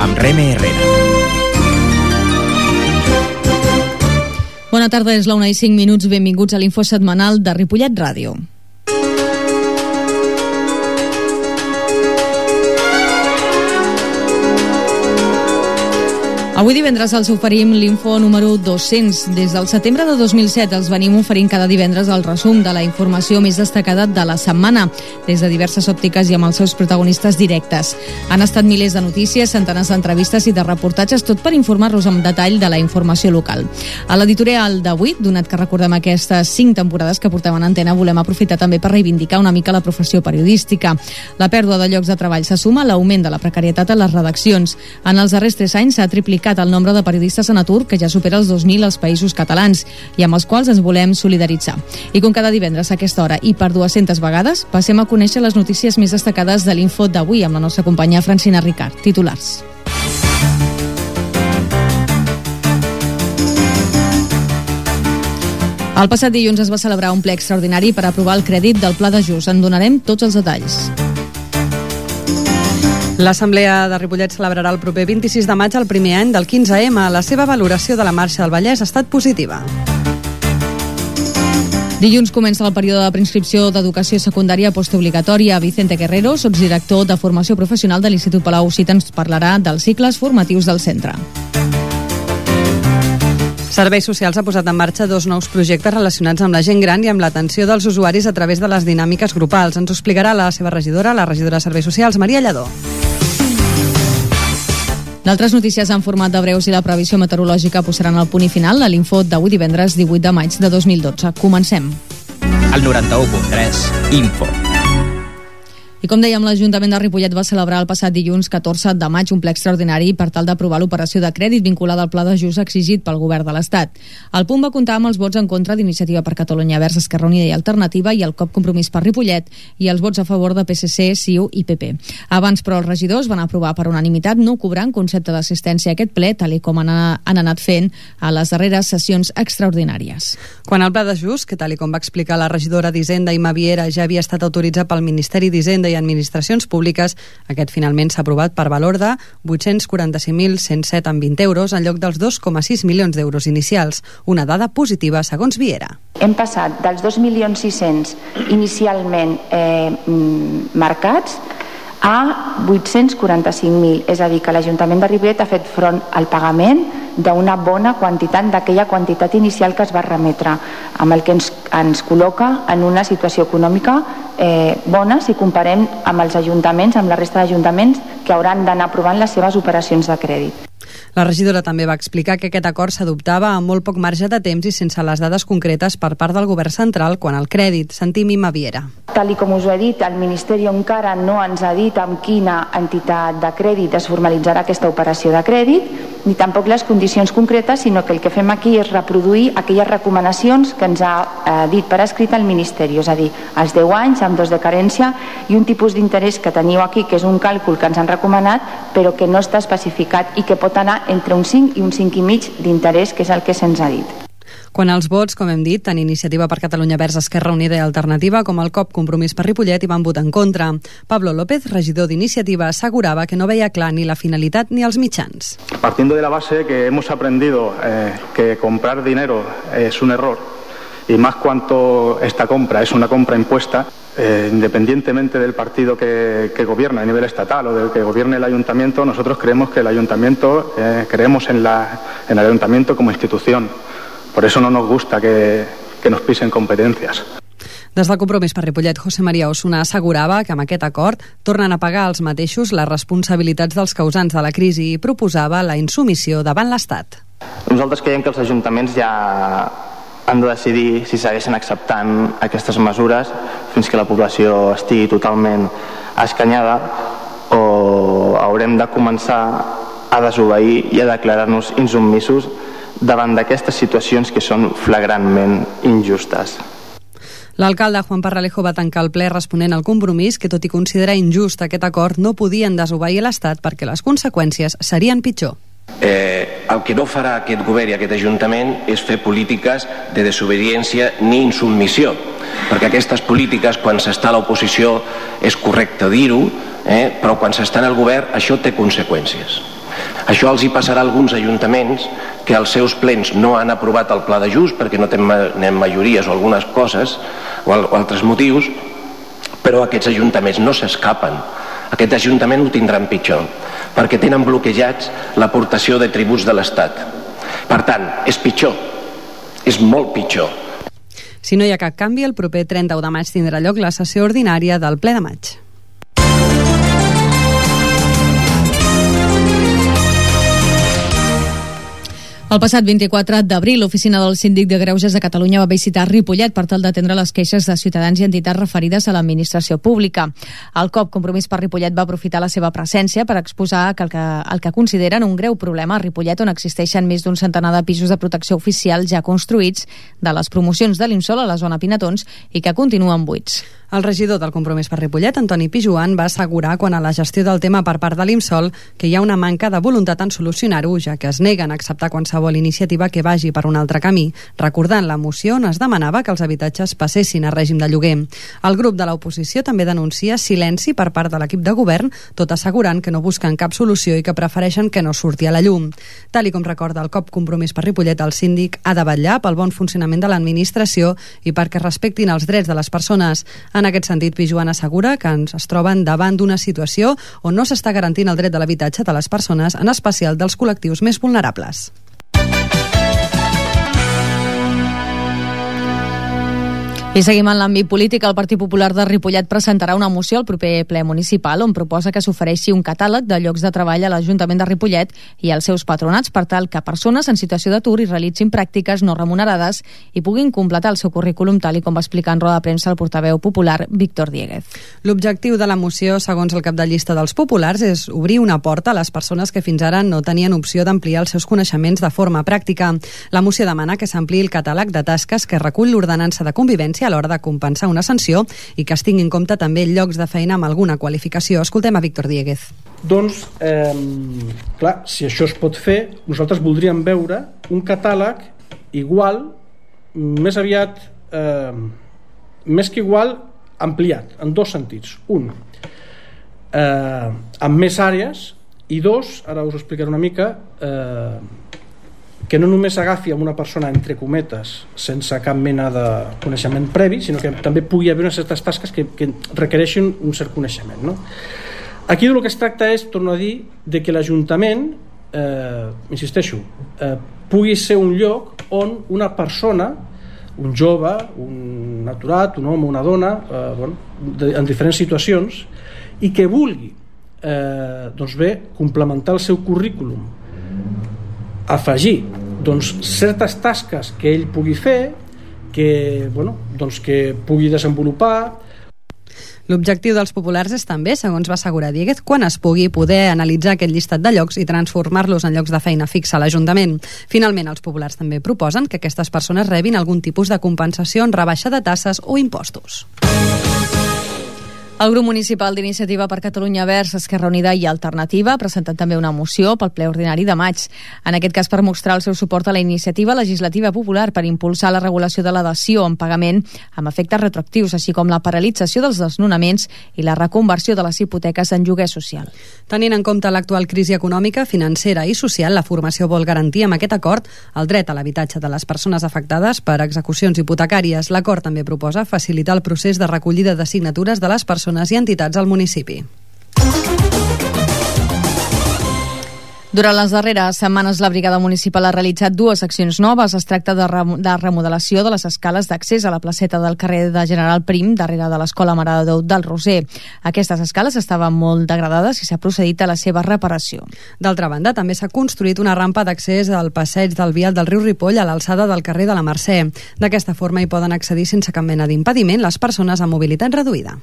amb Reme Herrera. Bona tarda, és la 1:05. Benvinguts a l'Info Setmanal de Ripollet Ràdio. Avui divendres els oferim l'Info número 200. Des del setembre de 2007 els venim oferint cada divendres el resum de la informació més destacada de la setmana, des de diverses òptiques i amb els seus protagonistes directes. Han estat milers de notícies, centenars d'entrevistes i de reportatges, tot per informar-los amb detall de la informació local. A l'editorial d'avui, donat que recordem aquestes 5 temporades que portem en antena, volem aprofitar també per reivindicar una mica la professió periodística. La pèrdua de llocs de treball se suma a l'augment de la precarietat a les redaccions. En els darrers 3 anys s'ha triplicat el nombre de periodistes en atur, que ja supera els 2.000 als països catalans, i amb els quals ens volem solidaritzar. I com cada divendres a aquesta hora i per 200 vegades, passem a conèixer les notícies més destacades de l'Info d'avui amb la nostra companya Francina Ricard. Titulars. El passat dilluns es va celebrar un ple extraordinari per aprovar el crèdit del Pla d'Ajust. En donarem tots els detalls. L'Assemblea de Ripollet celebrarà el proper 26 de maig el primer any del 15M. La seva valoració de la Marxa del Vallès ha estat positiva. Dilluns comença el període de preinscripció d'educació secundària postobligatòria. Vicente Guerrero, sotsdirector de Formació Professional de l'Institut Palau-Cit, ens parlarà dels cicles formatius del centre. Serveis Socials ha posat en marxa 2 nous projectes relacionats amb la gent gran i amb l'atenció dels usuaris a través de les dinàmiques grupals. Ens ho explicarà la seva regidora, la regidora de Serveis Socials, Maria Lladó. D'altres notícies en format de breus i la previsió meteorològica posaran el punt i final a l'Info d'avui divendres 18 de maig de 2012. Comencem. El 91.3 Info. I com dèiem, l'Ajuntament de Ripollet va celebrar el passat dilluns 14 de maig un ple extraordinari per tal d'aprovar l'operació de crèdit vinculada al Pla d'Ajust exigit pel Govern de l'Estat. El punt va comptar amb els vots en contra d'Iniciativa per Catalunya Verds, Esquerra Unida i Alternativa i el COP Compromís per Ripollet i els vots a favor de PSC, CiU i PP. Abans, però, els regidors van aprovar per unanimitat no cobrar en concepte d'assistència a aquest ple, tal com han anat fent a les darreres sessions extraordinàries. Quan el Pla d'Ajust, que tal com va explicar la regidora d'Hisenda, Imma Viera, ja havia estat autoritzat pel Ministeri d'Hisenda i Administracions Públiques, aquest finalment s'ha aprovat per valor de 845.107,20 euros en lloc dels 2,6 milions d'euros inicials, una dada positiva segons Viera. Hem passat dels 2.600.000 inicialment marcats a 845.000, és a dir, que l'Ajuntament de Ripollet ha fet front al pagament d'una bona quantitat d'aquella quantitat inicial que es va remetre, amb el que ens col·loca en una situació econòmica bona si comparem amb els ajuntaments, amb la resta d'ajuntaments que hauran d'anar aprovant les seves operacions de crèdit. La regidora també va explicar que aquest acord s'adoptava amb molt poc marge de temps i sense les dades concretes per part del Govern central quant al crèdit. Sentim Imma Viera. Tal com us ho he dit, el Ministeri encara no ens ha dit amb quina entitat de crèdit es formalitzarà aquesta operació de crèdit, ni tampoc les condicions concretes, sinó que el que fem aquí és reproduir aquelles recomanacions que ens ha dit per escrit el Ministeri, és a dir, els 10 anys amb 2 de carència i un tipus d'interès que teniu aquí, que és un càlcul que ens han recomanat, però que no està especificat i que pot anar entre un 5 i un 5,5 d'interès, que és el que se'ns ha dit. Quan els vots, com hem dit, tant Iniciativa per Catalunya Verds, Esquerra Unida i Alternativa com el COP Compromís per Ripollet hi van votar en contra. Pablo López, regidor d'Iniciativa, assegurava que no veia clar ni la finalitat ni els mitjans. Partiendo de la base que hemos aprendido que comprar dinero es un error, y más cuanto esta compra es una compra impuesta, independientemente del partido que gobierna a nivel estatal o del que gobierne el ayuntamiento, nosotros creemos que el ayuntamiento, creemos en el ayuntamiento como institución. Por eso no nos gusta que nos pisen competencias. Des del Compromís per Ripollet, José María Osuna assegurava que amb aquest acord tornen a pagar els mateixos les responsabilitats dels causants de la crisi i proposava la insumissió davant l'Estat. Nosaltres creiem que els ajuntaments ja han de decidir si segueixen acceptant aquestes mesures fins que la població estigui totalment escanyada o haurem de començar a desobeir i a declarar-nos insubmisos davant d'aquestes situacions que són flagrantment injustes. L'alcalde Juan Parralejo va tancar el ple responent al Compromís que, tot i considerar injust aquest acord, no podien desobeir l'Estat perquè les conseqüències serien pitjor. El que no farà aquest govern i aquest ajuntament és fer polítiques de desobediència ni insubmissió, perquè aquestes polítiques, quan s'està a l'oposició, és correcte dir-ho, però quan s'està en el govern això té conseqüències. Això els hi passarà a alguns ajuntaments que els seus plens no han aprovat el pla d'ajust perquè no tenen majories o algunes coses o altres motius, però aquests ajuntaments no s'escapen. Aquest ajuntament ho tindran pitjor perquè tenen bloquejats l'aportació de tributs de l'Estat. Per tant, és pitjor, és molt pitjor. Si no hi ha cap canvi, el proper 31 de maig tindrà lloc la sessió ordinària del ple de maig. El passat 24 d'abril, l'Oficina del Síndic de Greuges de Catalunya va visitar Ripollet per tal d'atendre les queixes de ciutadans i entitats referides a l'administració pública. El COP Compromís per Ripollet va aprofitar la seva presència per exposar el que consideren un greu problema a Ripollet, on existeixen més d'un centenar de pisos de protecció oficial ja construïts de les promocions de l'Imsol a la zona Pinatons i que continuen buits. El regidor del Compromís per Ripollet, Antoni Pijuan, va assegurar quan a la gestió del tema per part de l'Imsol que hi ha una manca de voluntat en solucionar-ho, ja que es neguen a acceptar qualsevol iniciativa que vagi per un altre camí, recordant la moció on es demanava que els habitatges passessin a règim de lloguer. El grup de l'oposició també denuncia silenci per part de l'equip de govern, tot assegurant que no busquen cap solució i que prefereixen que no surti a la llum. Tal i com recorda el COP Compromís per Ripollet, el síndic ha de vetllar pel bon funcionament de l'administració i perquè respectin els drets de les persones. En aquest sentit, Pijuan assegura que es troben davant d'una situació on no s'està garantint el dret de l'habitatge de les persones, en especial dels col·lectius més vulnerables. I seguim en l'àmbit polític. El Partit Popular de Ripollet presentarà una moció al proper ple municipal on proposa que s'ofereixi un catàleg de llocs de treball a l'Ajuntament de Ripollet i als seus patronats per tal que persones en situació d'atur i realitzin pràctiques no remunerades i puguin completar el seu currículum, tal i com va explicar en roda de premsa el portaveu popular Víctor Diéguez. L'objectiu de la moció, segons el cap de llista dels populars, és obrir una porta a les persones que fins ara no tenien opció d'ampliar els seus coneixements de forma pràctica. La moció demana que s'ampliï el catàleg de tasques que recull l'ordenança de convivència a l'hora de compensar una sanció i que es tingui en compte també llocs de feina amb alguna qualificació. Escoltem a Víctor Diéguez. Doncs, clar, si això es pot fer, nosaltres voldríem veure un catàleg igual, més aviat, més que igual, ampliat, en dos sentits. Un, amb més àrees, i dos, ara us explicaré una mica, que no només agafi amb una persona, entre cometes, sense cap mena de coneixement previ, sinó que també pugui haver unes certes tasques que requereixin un cert coneixement, no? Aquí del que es tracta és, torno a dir, de que l'Ajuntament, insisteixo, pugui ser un lloc on una persona, un jove, un aturat, un home, una dona, en diferents situacions, i que vulgui doncs bé, complementar el seu currículum, afegir certes tasques que ell pugui fer, que pugui desenvolupar. L'objectiu dels populars és també, segons va assegurar Diéguez, quan es pugui poder analitzar aquest llistat de llocs i transformar-los en llocs de feina fixa a l'Ajuntament. Finalment, els populars també proposen que aquestes persones rebin algun tipus de compensació en rebaixa de tasses o impostos. El grup municipal d'Iniciativa per Catalunya Verds, Esquerra Unida i Alternativa ha presentat també una moció pel ple ordinari de maig. En aquest cas per mostrar el seu suport a la iniciativa legislativa popular per impulsar la regulació de la dació en pagament amb efectes retroactius, així com la paralització dels desnonaments i la reconversió de les hipoteques en lloguer social. Tenint en compte l'actual crisi econòmica, financera i social, la formació vol garantir amb aquest acord el dret a l'habitatge de les persones afectades per execucions hipotecàries. L'acord també proposa facilitar el procés de recollida de signatures de les persones i entitats al municipi. Durant les darreres setmanes, la Brigada Municipal ha realitzat dues accions noves. Es tracta de remodelació de les escales d'accés a la placeta del carrer de General Prim, darrere de l'Escola Mare de Déu del Roser. Aquestes escales estaven molt degradades i s'ha procedit a la seva reparació. D'altra banda, també s'ha construït una rampa d'accés al passeig del vial del riu Ripoll a l'alçada del carrer de la Mercè. D'aquesta forma hi poden accedir sense cap mena d'impediment les persones amb mobilitat reduïda.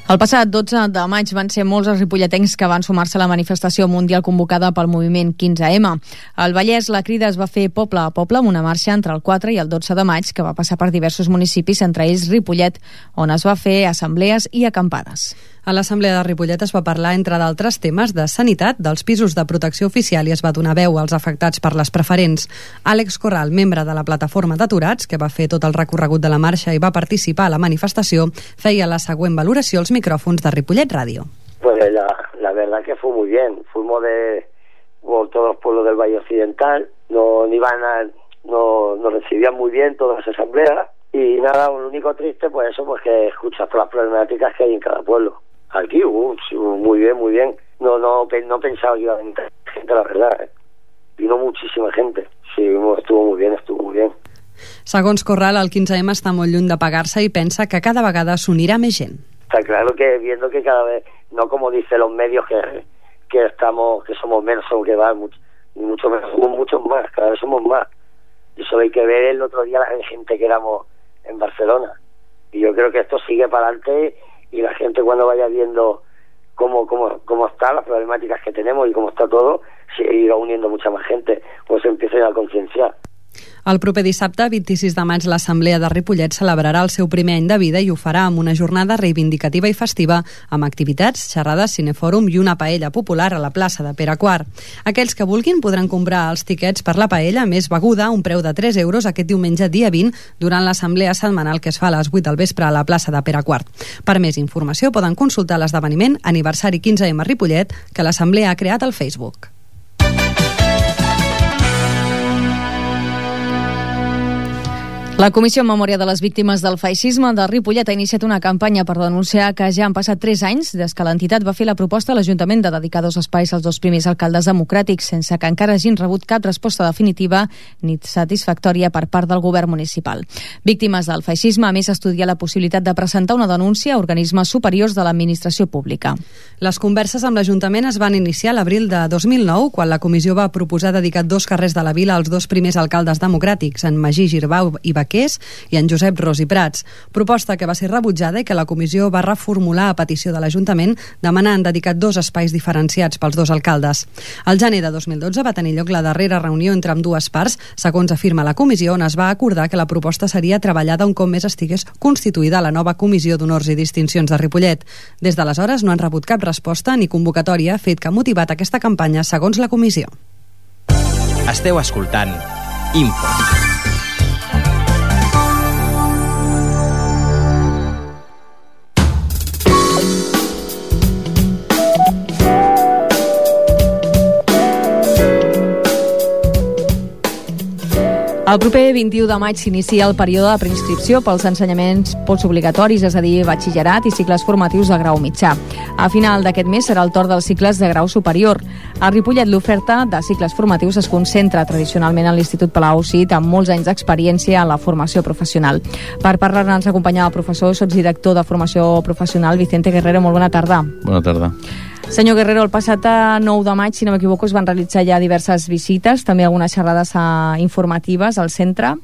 El passat 12 de maig van ser molts els ripolletens que van sumar-se a la manifestació mundial convocada pel moviment 15M. Al Vallès, la crida es va fer poble a poble amb una marxa entre el 4 i el 12 de maig que va passar per diversos municipis, entre ells Ripollet, on es va fer assemblees i acampades. A l'Assemblea de Ripollet es va parlar, entre d'altres temes, de sanitat, dels pisos de protecció oficial i es va donar veu als afectats per les preferents. Àlex Corral, membre de la plataforma d'aturats, que va fer tot el recorregut de la marxa i va participar a la manifestació, feia la següent valoració als micròfons de Ripollet Ràdio. Pues la verdad que fue muy bien. Fuimos por todos los pueblos del Valle Occidental, nos recibían muy bien todas las asambleas y nada, lo único triste pues eso, pues que escuchas todas las problemáticas que hay en cada pueblo. Aquí muy bien, muy bien. No pensaba que iba a venir gente, la verdad. Vino muchísima gente. Sí, estuvo muy bien. Segons Corral, el 15M està molt lluny de pagar-se i pensa que cada vegada s'unirà més gent. Está claro que viendo que cada vez, no como dicen los medios que somos menos, o que va mucho menos, somos muchos más, cada vez somos más. Y eso hay que ver el otro día la gente que éramos en Barcelona. Y yo creo que esto sigue para adelante y la gente cuando vaya viendo cómo están las problemáticas que tenemos y cómo está todo, se irá uniendo mucha más gente, pues se empiecen a concienciar. El proper dissabte, 26 de maig, l'Assemblea de Ripollet celebrarà el seu primer any de vida i ho farà amb una jornada reivindicativa i festiva amb activitats, xerrades, cinefòrum i una paella popular a la plaça de Pere IV. Aquells que vulguin podran comprar els tiquets per la paella més beguda a un preu de 3 euros aquest diumenge dia 20 durant l'assemblea setmanal que es fa a les 8 del vespre a la plaça de Pere IV. Per més informació poden consultar l'esdeveniment Aniversari 15M Ripollet que l'Assemblea ha creat al Facebook. La Comissió en Memòria de les Víctimes del Feixisme de Ripollet ha iniciat una campanya per denunciar que ja han passat 3 anys des que l'entitat va fer la proposta a l'Ajuntament de dedicar 2 espais als 2 primers alcaldes democràtics, sense que encara hagin rebut cap resposta definitiva ni satisfactòria per part del govern municipal. Víctimes del feixisme, a més, estudia la possibilitat de presentar una denúncia a organismes superiors de l'administració pública. Les converses amb l'Ajuntament es van iniciar a l'abril de 2009, quan la comissió va proposar dedicar 2 carrers de la vila als 2 primers alcaldes democràtics, en Magí Girbau i Baqués i en Josep Ros i Prats. Proposta que va ser rebutjada i que la comissió va reformular a petició de l'Ajuntament demanant dedicar 2 espais diferenciats pels 2 alcaldes. Al gener de 2012 va tenir lloc la darrera reunió entre ambdues parts, segons afirma la comissió, on es va acordar que la proposta seria treballada un cop més estigués constituïda la nova Comissió d'Honors i Distincions de Ripollet. Des d'aleshores no han rebut cap resposta ni convocatòria, fet que ha motivat aquesta campanya, segons la comissió. Esteu escoltant Info. El proper 21 de maig s'inicia el període de preinscripció pels ensenyaments postobligatoris, és a dir, batxillerat i cicles formatius de grau mitjà. A final d'aquest mes serà el torn dels cicles de grau superior. A Ripollet l'oferta de cicles formatius es concentra tradicionalment a l'Institut Palau Cid, amb molts anys d'experiència en la formació professional. Per parlar-ne ens acompanya el professor, sotsdirector de formació professional, Vicente Guerrero. Molt bona tarda. Bona tarda. Senyor Guerrero, el passat 9 de maig, si no m'equivoco, es van realitzar ja diverses visites, també algunes xerrades informatives al centre.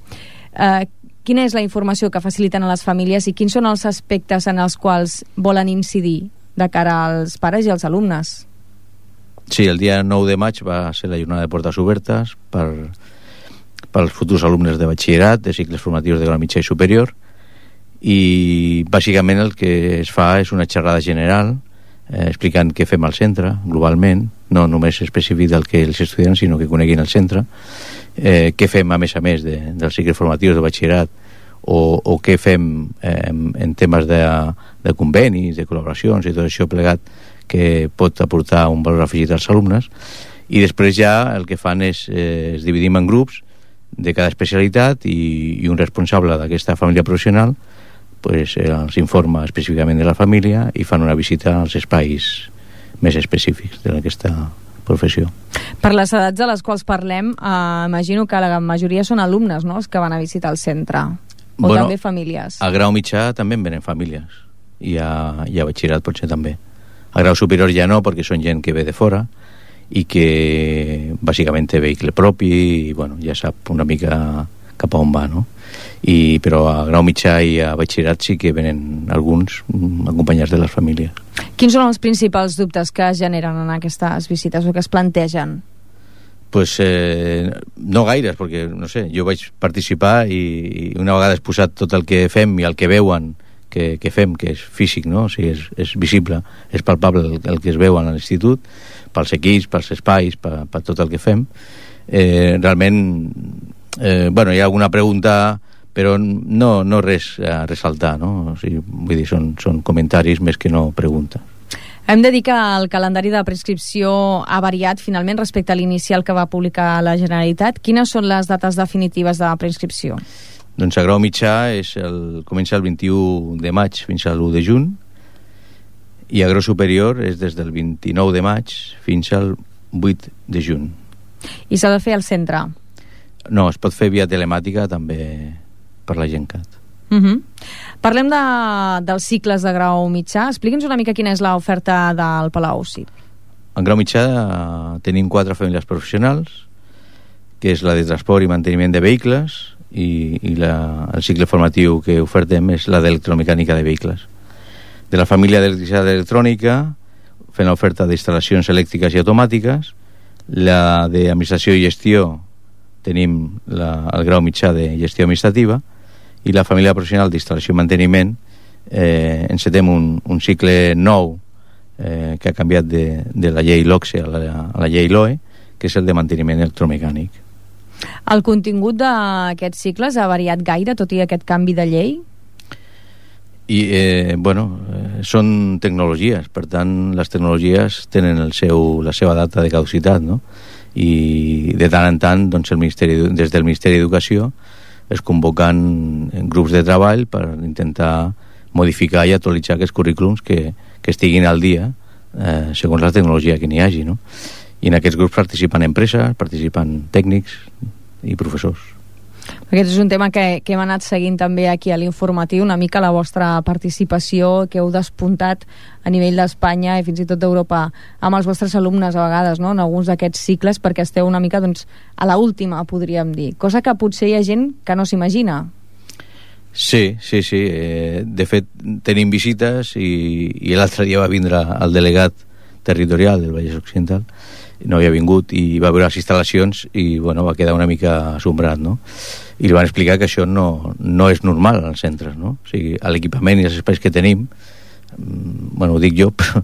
Quina és la informació que faciliten a les famílies i quins són els aspectes en els quals volen incidir de cara als pares i als alumnes? Sí, el dia 9 de maig va ser la jornada de portes obertes pels futurs alumnes de batxillerat, de cicles formatius de grau mitjà i superior, i bàsicament el que es fa és una xerrada general explicant què fem al centre globalment, no només específic del que els estudiants, sinó que coneguin el centre, què fem a més dels cicles formatius de batxillerat o què fem en temes de convenis, de col·laboracions i tot això plegat que pot aportar un valor afegit als alumnes. I després ja el que fan és dividim en grups de cada especialitat i un responsable d'aquesta família professional els informa específicament de la família i fan una visita als espais més específics d'aquesta professió. Per les edats a les quals parlem, imagino que la majoria són alumnes, no?, els que van a visitar el centre, o també famílies. A grau mitjà també en venen famílies i a batxillerat potser també. A grau superior ja no, perquè són gent que ve de fora i que bàsicament té vehicle propi i ja sap una mica cap a on va, no? però a grau mitjà i a batxillerat sí que venen alguns acompanyats de les famílies. Quins són els principals dubtes que es generen en aquestes visites o que es plantegen? Pues no gaires, perquè no sé, jo vaig participar i una vegada exposat tot el que fem i el que veuen que fem, que és físic, no? O sigui, és visible, és palpable el que es veu a l'institut, pels equips, pels espais, per tot el que fem. Realment, hi ha alguna pregunta, però no res a ressaltar, no? O sigui, vull dir, són comentaris més que no preguntes. Hem de dir que el calendari de prescripció ha variat finalment respecte a l'inicial que va publicar la Generalitat. Quines són les dates definitives de prescripció? Doncs a grau mitjà comença el 21 de maig fins a l'1 de juny i a grau superior és des del 29 de maig fins al 8 de juny. I s'ha de fer al centre? No, es pot fer via telemàtica també per la GenCat. Parlem dels cicles de grau mitjà. Expliqui'ns una mica quina és l'oferta del Palau CIP. En grau mitjà tenim 4 famílies professionals, que és la de transport i manteniment de vehicles, i el cicle formatiu que ofertem és la d'electromecànica de vehicles. De la família d'electricitat electrònica fent l'oferta d'instal·lacions elèctriques i automàtiques. La d'administració i gestió tenim el grau mitjà de gestió administrativa, i la família professional d'instal·lació i manteniment encetem un cicle nou que ha canviat de la llei LOCSE a la llei LOE, que és el de manteniment electromecànic. El contingut d'aquests cicles ha variat gaire, tot i aquest canvi de llei? Són tecnologies, per tant les tecnologies tenen la seva data de caducitat, no? I de tant en tant des del Ministeri d'Educació es convoquen grups de treball per intentar modificar i actualitzar aquests currículums que estiguin al dia segons la tecnologia que n'hi hagi, no? I en aquests grups participen empreses, participen tècnics i professors. Aquest és un tema que hem anat seguint també aquí a l'informatiu, una mica la vostra participació que heu despuntat a nivell d'Espanya i fins i tot d'Europa amb els vostres alumnes a vegades, no? En alguns d'aquests cicles, perquè esteu una mica a la última, podríem dir, cosa que potser hi ha gent que no s'imagina. Sí. De fet, tenim visites i l'altre dia va vindre el delegat territorial del Vallès Occidental, no havia vingut i va veure les instal·lacions i va quedar una mica assombrat, no? I li van explicar que això no és normal als centres, no? O sigui, l'equipament i els espais que tenim, ho dic jo, però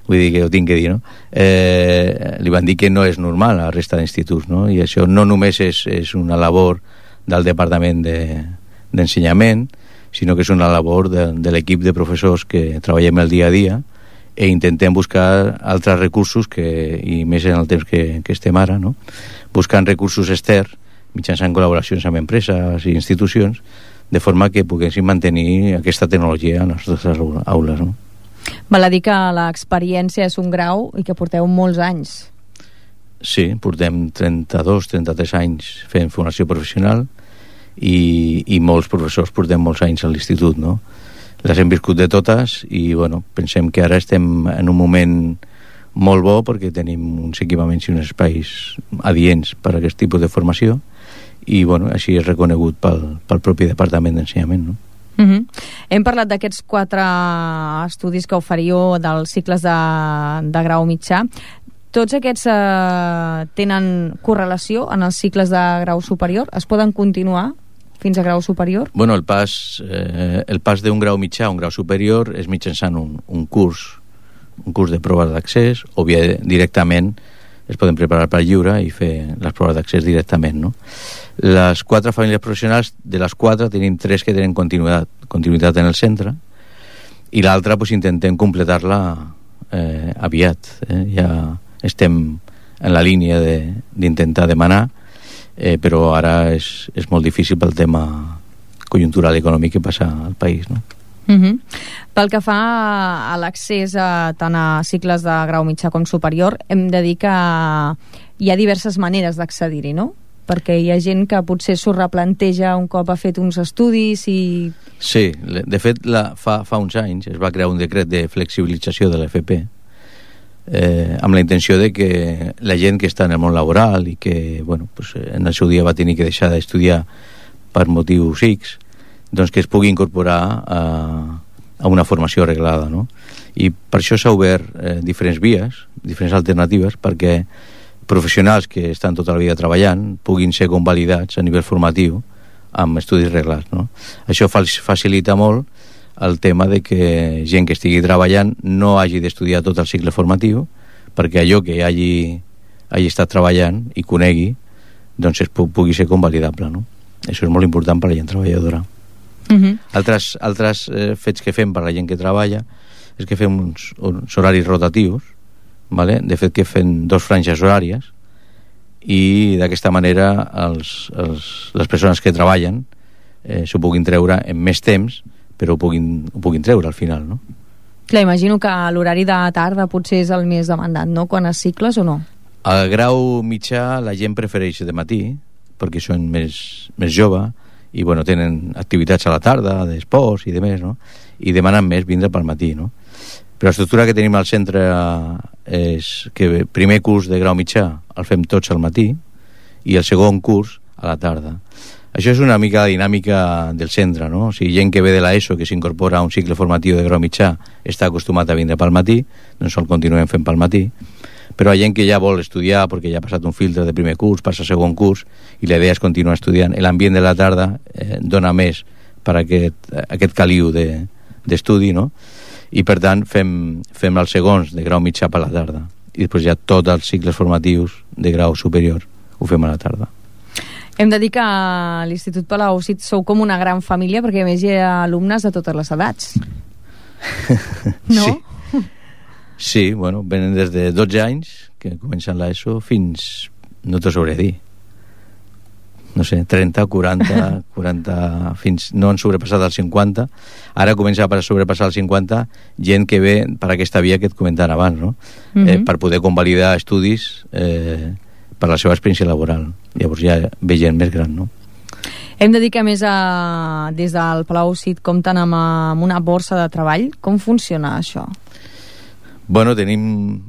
vull dir que ho tinc que dir, no? Li van dir que no és normal a la resta d'instituts, no? I això no només és una labor del departament d'ensenyament, sinó que és una labor de l'equip de professors que treballem el dia a dia i intentem buscar altres recursos i més en el temps que estem ara, no? Buscant recursos externs mitjançant col·laboracions amb empreses i institucions, de forma que poguéssim mantenir aquesta tecnologia a les nostres aules, no? Val a dir que l'experiència és un grau i que porteu molts anys. Sí, portem 32-33 anys fent formació professional i molts professors portem molts anys a l'institut, no? Les hem viscut de totes i pensem que ara estem en un moment molt bo perquè tenim uns equipaments i uns espais adients per a aquest tipus de formació i així és reconegut pel propi Departament d'Ensenyament, no? Hem parlat d'aquests 4 estudis que oferiu dels cicles de grau mitjà. Tots aquests tenen correlació en els cicles de grau superior? Es poden continuar fins a grau superior? El pas d'un grau mitjà a un grau superior és mitjançant un curs de proves d'accés, o bé directament es poden preparar per lliure i fer les proves d'accés directament, no? Les 4 famílies professionals, de les 4 tenim 3 que tenen continuïtat en el centre i l'altra intentem completar-la aviat. Ja estem en la línia d'intentar demanar, però ara és molt difícil pel tema conjuntural econòmic que passa al país, no? Pel que fa a l'accés tant a cicles de grau mitjà com superior, hem de dir que hi ha diverses maneres d'accedir-hi, no? Perquè hi ha gent que potser s'ho replanteja un cop ha fet uns estudis i... Sí, de fet fa uns anys es va crear un decret de flexibilització de l'FP amb la intenció de que la gent que està en el món laboral i que en el seu dia va tenir que deixar d'estudiar per motius X, doncs que es pugui incorporar a una formació reglada, no? I per això s'ha obert diferents vies, diferents alternatives, perquè professionals que estan tota la vida treballant puguin ser convalidats a nivell formatiu amb estudis reglats, no? Això facilita molt el tema de que gent que estigui treballant no hagi d'estudiar tot el cicle formatiu, perquè allò que hagi estat treballant i conegui, doncs pugui ser convalidable, no? Això és molt important per a la gent treballadora. Altres fets que fem per a la gent que treballa és que fem uns horaris rotatius, ¿vale? De fet que fem 2 franges horàries, i d'aquesta manera les persones que treballen s'ho puguin treure en més temps, però ho puguin treure al final, no? Clar, imagino que l'horari de tarda potser és el més demandat, no?, quan es cicles o no? Al grau mitjà la gent prefereix de matí, perquè són més jove i bueno, tenen activitats a la tarda, d'esports i demés, no? I demanen més vindre pel matí, no? Però l'estructura que tenim al centre és que primer curs de grau mitjà el fem tots al matí i el segon curs a la tarda. Això és una mica la dinàmica del centre, no? O sigui, gent que ve de l'ESO, que s'incorpora a un cicle formatiu de grau mitjà, està acostumat a vindre pel matí, doncs el continuem fent pel matí. Però hi ha gent que ja vol estudiar perquè ja ha passat un filtre de primer curs, passa a segon curs, i la idea és continuar estudiant. L'ambient de la tarda dona més per a aquest caliu d'estudi, no? I per tant fem els segons de grau mitjà per la tarda, i després ja tots els cicles formatius de grau superior ho fem a la tarda. Hem de dir que a l'Institut Palau-Cid sou com una gran família, perquè a més hi ha alumnes de totes les edats. No? Sí, bueno, venen des de 12 anys, que comencen l'ESO, fins, no t'ho sabré dir, no sé, 30, 40, fins no han sobrepassat els 50. Ara comença a sobrepassar els 50 gent que ve per aquesta via que et comentaven abans, no? Per poder convalidar estudis per la seva experiència laboral. Llavors ja ve gent més gran, no? Hem de dir que a més des del Palau-Cid compten amb una borsa de treball. Com funciona això? Bueno, tenim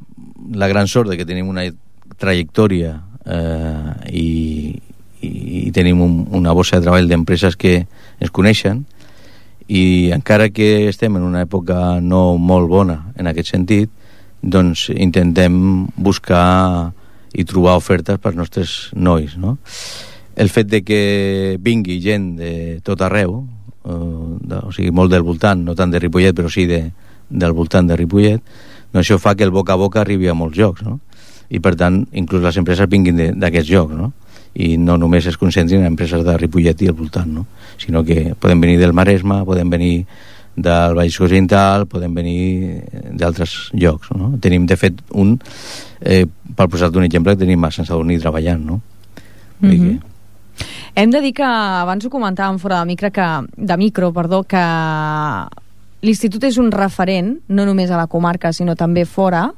la gran sort de que tenim una trajectòria i tenim una borsa de treball d'empreses que ens coneixen, i encara que estem en una època no molt bona en aquest sentit, doncs intentem buscar i trobar ofertes per als nostres nois, no? El fet de que vingui gent de tot arreu, o sigui, molt del voltant, no tant de Ripollet, però sí del voltant de Ripollet, doncs això fa que el boca a boca arribi a molts llocs, no? I per tant, inclús les empreses vinguin d'aquests llocs, no? I no només es concentrin en empreses de Ripollet i el voltant, no? Sinó que poden venir del Maresme, poden venir del Baix Occidental, poden venir d'altres llocs, no? Tenim, de fet, per posar-te un exemple, tenim a Sant Sadurní treballant, no? Hem de dir que, abans ho comentàvem fora de micro, que l'institut és un referent, no només a la comarca, sinó també fora,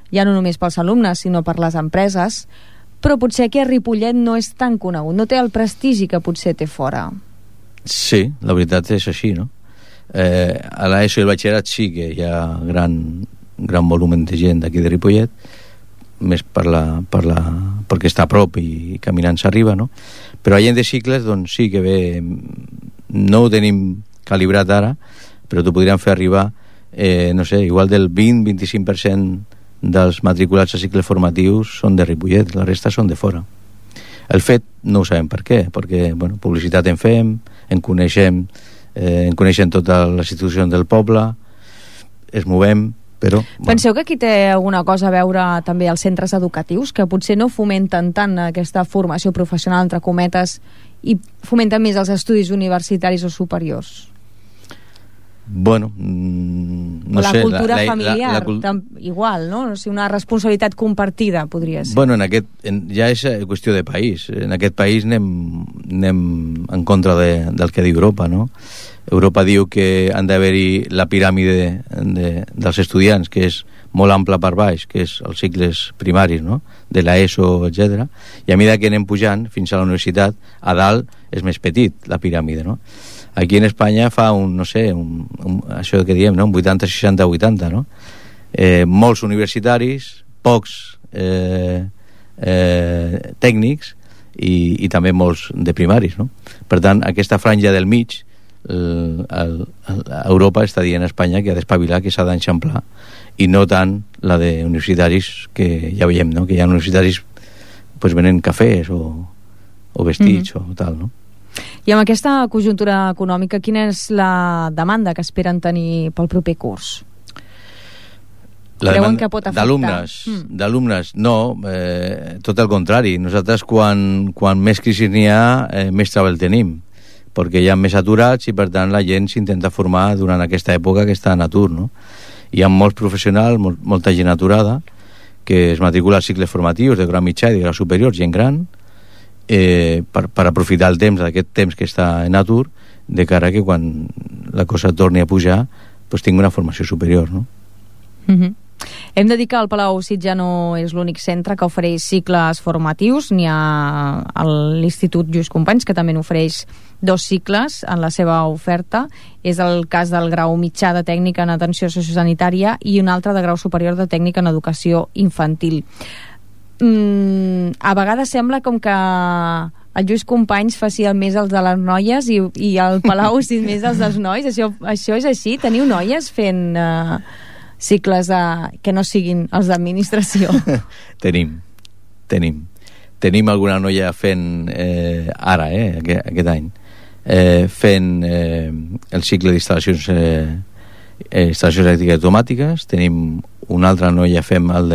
ja no només pels alumnes, sinó per les empreses, però potser aquí a Ripollet no és tan conegut, no té el prestigi que potser té fora. Sí, la veritat és així, no? A l'ESO i el batxillerat sí que hi ha gran volum de gent d'aquí de Ripollet, més perquè està a prop i caminant s'arriba, no? Però a gent de cicles, doncs sí que ve, no ho tenim calibrat ara, però t'ho podríem fer arribar, no sé, igual del 20-25% dels matriculats a cicles formatius són de Ripollet, la resta són de fora. El fet no ho sabem per què, perquè bueno, publicitat en fem, en coneixem totes les institucions del poble, es movem, però... Bueno. Penseu que aquí té alguna cosa a veure també els centres educatius, que potser no fomenten tant aquesta formació professional, entre cometes, i fomenten més els estudis universitaris o superiors? Bueno, no la sé, cultura familiar igual, no? O sigui, una responsabilitat compartida podria ser. Bueno, ja és qüestió de país. En aquest país anem en contra del que diu Europa, no? Europa diu que han d'haver-hi la piràmide dels estudiants, que és molt ampla per baix, que és els cicles primaris, no? De l'ESO, etc. I a mesura que anem pujant fins a la universitat, a dalt és més petit la piràmide, no? Aquí en Espanya fa això que diem, no? Un 80, 60, 80, no? Molts universitaris, pocs tècnics i també molts de primaris, no? Per tant, aquesta franja del mig, Europa està dient a Espanya que ha d'espavilar, que s'ha d'enxamplar, i no tant la de universitaris, que ja veiem, no? Que hi ha universitaris pues, venen cafès o vestits o tal, no? I amb aquesta conjuntura econòmica, quina és la demanda que esperen tenir pel proper curs? Creuen que pot afectar? D'alumnes, no, tot el contrari. Nosaltres quan més crisi n'hi ha, més treball tenim, perquè hi ha més aturats i per tant la gent s'intenta formar durant aquesta època que està en atur, no? Hi ha molts professionals, molta gent aturada que es matricula als cicles formatius de grau mitjà i de grau superior, gent gran, per aprofitar el temps, aquest temps que està en atur, de cara que quan la cosa torni a pujar pues tingui una formació superior, no? Hem de dir que el Palau Cid ja no és l'únic centre que ofereix cicles formatius, n'hi ha l'Institut Lluís Companys, que també n'ofereix 2 cicles en la seva oferta. És el cas del grau mitjà de tècnica en atenció sociosanitària i un altre de grau superior de tècnica en educació infantil. A vegades sembla com que el Lluís Companys faci més els de les noies i el Palau Cid més els dels nois. Això és així? Teniu noies fent cicles que no siguin els d'administració? Tenim alguna noia fent ara, aquest any, fent el cicle d'instal·lacions elèctriques automàtiques. Tenim una altra noia fent el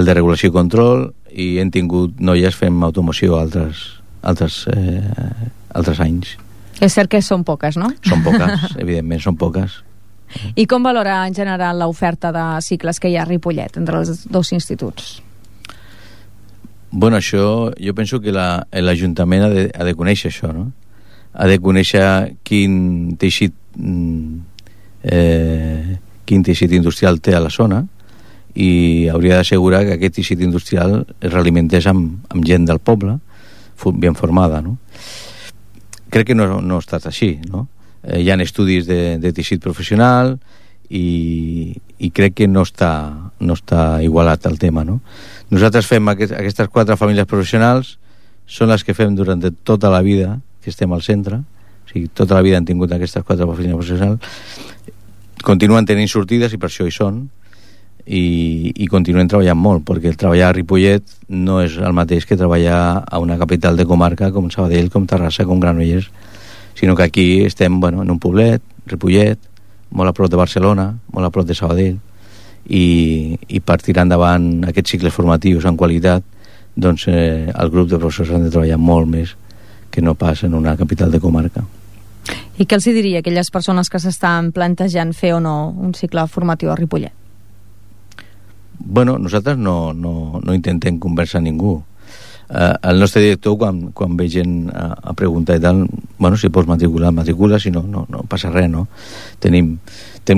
de regulació i control, i hem tingut noies fent automoció altres anys. És cert que són poques, no? Són poques, evidentment, són poques. I com valora en general l'oferta de cicles que hi ha a Ripollet entre els 2 instituts? Bueno, això, jo penso que l'Ajuntament ha de conèixer això, no? Ha de conèixer quin teixit industrial té a la zona, i hauria d'assegurar que aquest teixit industrial es realimentés amb gent del poble ben formada, no? Crec que no ha estat així, no? Hi ha estudis de teixit professional i crec que no està igualat el tema, no? Nosaltres fem aquestes 4 famílies professionals, són les que fem durant tota la vida que estem al centre, o sigui, tota la vida han tingut aquestes 4 famílies professionals, continuen tenint sortides i per això hi són, i continuen treballant molt, perquè el treballar a Ripollet no és el mateix que treballar a una capital de comarca com Sabadell, com Terrassa, com Granollers, sinó que aquí estem en un poblet, Ripollet, molt a prop de Barcelona, molt a prop de Sabadell, i per tirar endavant aquests cicles formatius en qualitat, doncs el grup de professors han de treballar molt més que no pas en una capital de comarca. I què els diria a aquelles persones que s'estan plantejant fer o no un cicle formatiu a Ripollet? Bueno, nosaltres no intentem conversar a ningú. El nostre director, quan ve gent a preguntar i tal, bueno, si pots matricula, si no passa res, no? Tenim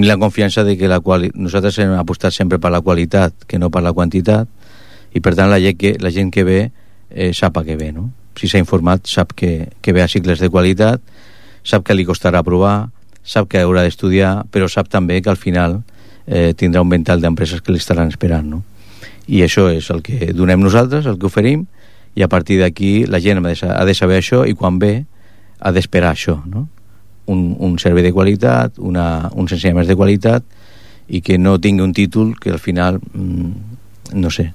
la confiança de que nosaltres hem apostat sempre per la qualitat que no per la quantitat, i per tant la gent que ve sap a què ve, no? Si s'ha informat sap que ve a cicles de qualitat, sap que li costarà aprovar, sap que haurà d'estudiar, però sap també que al final tindrà un ventall d'empreses que l'estaran esperant, no? I això és el que donem nosaltres, el que oferim, i a partir d'aquí la gent ha de saber això, i quan ve ha d'esperar això, no? Un servei de qualitat, uns ensenyaments de qualitat, i que no tingui un títol que al final no sé,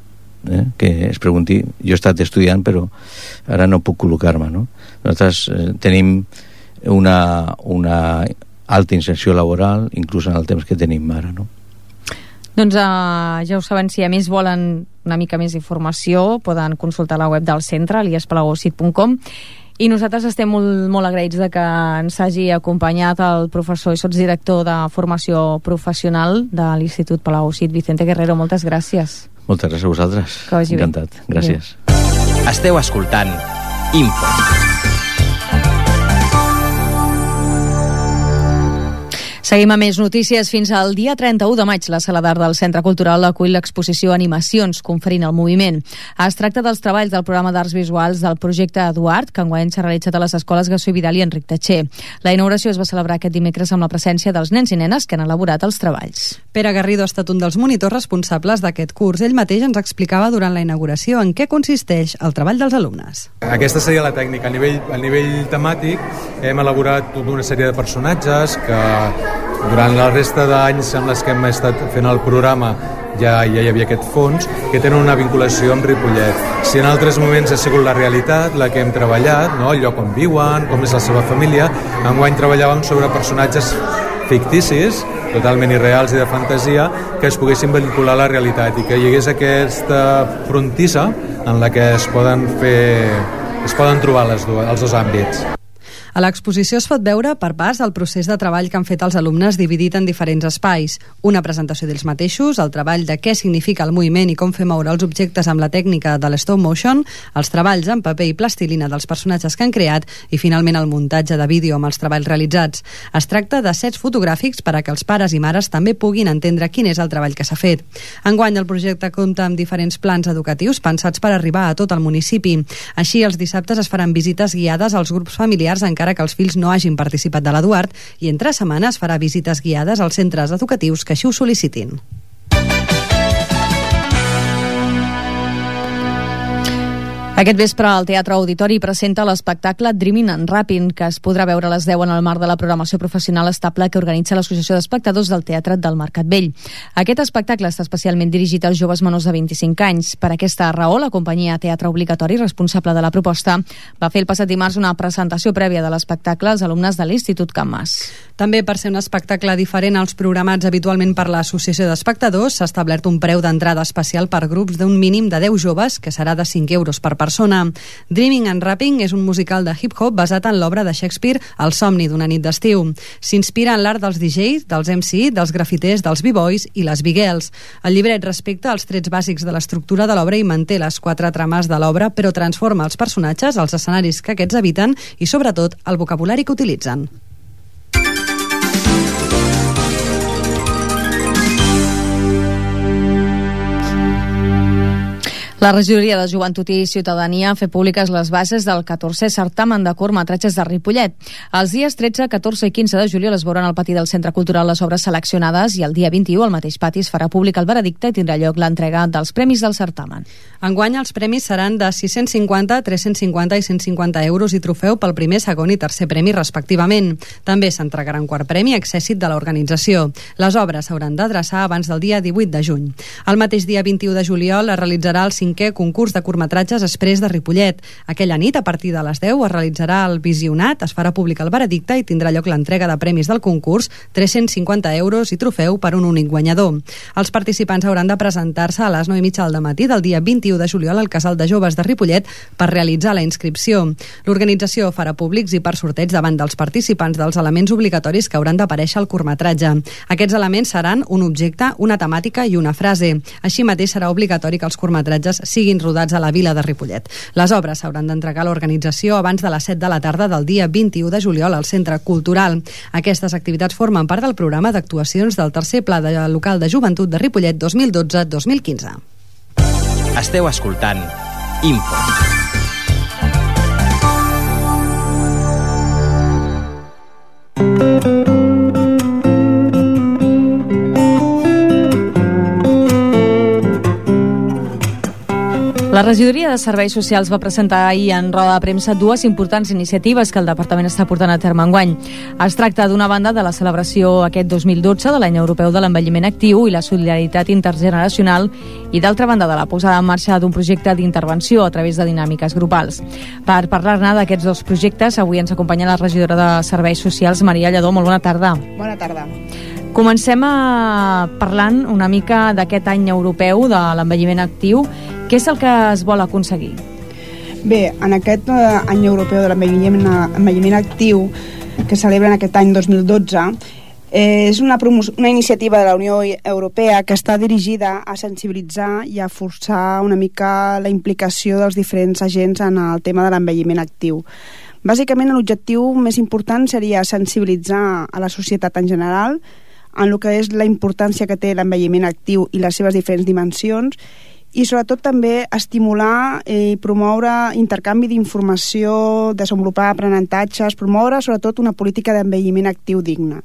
que es pregunti, jo he estat estudiant però ara no puc col·locar-me, no? Nosaltres tenim una alta inserció laboral inclús en el temps que tenim ara, no? Doncs ja ho saben, si a més volen una mica més d'informació poden consultar la web del centre, eliaspalagocid.com, i nosaltres estem molt agraïts de que ens hagi acompanyat el professor i sotsdirector de formació professional de l'Institut Palau Cid, Vicente Guerrero. Moltes gràcies. Moltes gràcies a vosaltres. Que vagi bé. Encantat. Gràcies. Esteu escoltant Info. Seguim amb més notícies. Fins al dia 31 de maig, la Sala d'Art del Centre Cultural acull l'exposició Animacions, conferint el moviment. Es tracta dels treballs del programa d'arts visuals del projecte Eduard, que enguany s'ha realitzat a les escoles Gassó i Vidal i Enric Tatxer. La inauguració es va celebrar aquest dimecres amb la presència dels nens i nenes que han elaborat els treballs. Pere Garrido ha estat un dels monitors responsables d'aquest curs. Ell mateix ens explicava durant la inauguració en què consisteix el treball dels alumnes. Aquesta seria la tècnica. A nivell temàtic hem elaborat tota una sèrie de personatges que durant la resta d'anys en les que hem estat fent el programa ja hi havia aquest fons que tenen una vinculació amb Ripollet. Si en altres moments ha sigut la realitat la que hem treballat, no? El lloc on viuen, com és la seva família, enguany treballàvem sobre personatges ficticis, totalment irreals i de fantasia, que es poguessin vincular a la realitat i que hi hagués aquesta frontissa en la que es poden trobar els dos àmbits. A l'exposició es pot veure per pas el procés de treball que han fet els alumnes dividit en diferents espais. Una presentació d'ells mateixos, el treball de què significa el moviment i com fer moure els objectes amb la tècnica de l'stop motion, els treballs en paper i plastilina dels personatges que han creat i finalment el muntatge de vídeo amb els treballs realitzats. Es tracta de sets fotogràfics per a que els pares i mares també puguin entendre quin és el treball que s'ha fet. Enguany el projecte compta amb diferents plans educatius pensats per arribar a tot el municipi. Així, els dissabtes es faran visites guiades als grups familiars encara que els fills no hagin participat de l'Eduard i entre setmanes farà visites guiades als centres educatius que així ho sol·licitin. Aquest vespre el Teatre Auditori presenta l'espectacle Dreaming and Rapping, que es podrà veure a les 10 en el marc de la programació professional estable que organitza l'Associació d'Espectadors del Teatre del Mercat Vell. Aquest espectacle està especialment dirigit als joves menors de 25 anys. Per aquesta raó, la companyia Teatre Obligatori, responsable de la proposta, va fer el passat dimarts una presentació prèvia de l'espectacle als alumnes de l'Institut Can Mas. També per ser un espectacle diferent als programats habitualment per l'Associació d'Espectadors, s'ha establert un preu d'entrada especial per grups d'un mínim de 10 joves, que serà de 5 euros per persona. Dreaming and Rapping és un musical de hip-hop basat en l'obra de Shakespeare El somni d'una nit d'estiu. S'inspira en l'art dels DJs, dels MC, dels grafiters, dels b-boys i les b-girls. El llibret respecta els trets bàsics de l'estructura de l'obra i manté les 4 trames de l'obra, però transforma els personatges, els escenaris que aquests habiten i, sobretot, el vocabulari que utilitzen. La regidoria de Joventut i Ciutadania ha fet públiques les bases del 14è certamen de curtmetratges de Ripollet. Els dies 13, 14 i 15 de juliol es veuran al pati del Centre Cultural les obres seleccionades i el dia 21 al mateix pati es farà públic el veredicte i tindrà lloc l'entrega dels premis del certamen. Enguany els premis seran de 650, 350 i 150 euros i trofeu pel primer, segon i tercer premi respectivament. També s'entregarà un quart premi accèssit de l'organització. Les obres s'hauran d'adreçar abans del dia 18 de juny. El mateix dia 21 de juliol es realitzarà el 5è concurs de curtmetratges Exprés de Ripollet. Aquella nit, a partir de les 10, es realitzarà el visionat, es farà públic el veredicte i tindrà lloc l'entrega de premis del concurs, 350 euros i trofeu per un únic guanyador. Els participants hauran de presentar-se a les 9:30 del matí del dia 21 de juliol al Casal de Joves de Ripollet per realitzar la inscripció. L'organització farà públics i per sorteig davant dels participants dels elements obligatoris que hauran d'aparèixer al curtmetratge. Aquests elements seran un objecte, una temàtica i una frase. Així mateix serà obligatori que els curtmetratges siguin rodats a la vila de Ripollet. Les obres s'hauran d'entregar a l'organització abans de les 7 de la tarda del dia 21 de juliol al Centre Cultural. Aquestes activitats formen part del programa d'actuacions del tercer Pla Local de Joventut de Ripollet 2012-2015. Esteu escoltant Info. La regidoria de Serveis Socials va presentar ahir en roda de premsa dues importants iniciatives que el departament està portant a terme enguany. Es tracta d'una banda de la celebració aquest 2012 de l'any europeu de l'envelliment actiu i la solidaritat intergeneracional i d'altra banda de la posada en marxa d'un projecte d'intervenció a través de dinàmiques grupals. Per parlar-ne d'aquests dos projectes, avui ens acompanya la regidora de Serveis Socials, Maria Lledó. Molt bona tarda. Bona tarda. Comencem parlant una mica d'aquest any europeu de l'envelliment actiu. Què és el que es vol aconseguir? Bé, en aquest any europeu de l'envelliment actiu que celebra en aquest any 2012 és una iniciativa de la Unió Europea que està dirigida a sensibilitzar i a forçar una mica la implicació dels diferents agents en el tema de l'envelliment actiu. Bàsicament, l'objectiu més important seria sensibilitzar a la societat en general en el que és la importància que té l'envelliment actiu i les seves diferents dimensions, i sobretot també estimular i promoure intercanvi d'informació, desenvolupar aprenentatges, promoure sobretot una política d'envelliment actiu digna.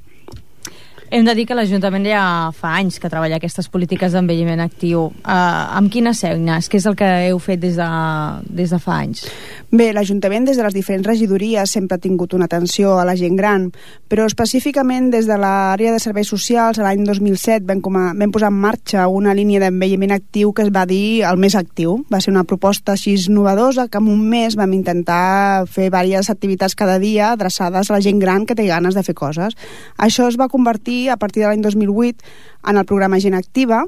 Hem de dir que l'Ajuntament ja fa anys que treballa aquestes polítiques d'envelliment actiu. Amb quines eines? Què és el que heu fet des de fa anys? Bé, l'Ajuntament des de les diferents regidories sempre ha tingut una atenció a la gent gran, però específicament des de l'àrea de serveis socials l'any 2007 vam posar en marxa una línia d'envelliment actiu que es va dir el Mes Actiu. Va ser una proposta així novedosa que en un mes vam intentar fer diverses activitats cada dia adreçades a la gent gran que té ganes de fer coses. Això es va convertir a partir de l'any 2008 en el programa Gent Activa,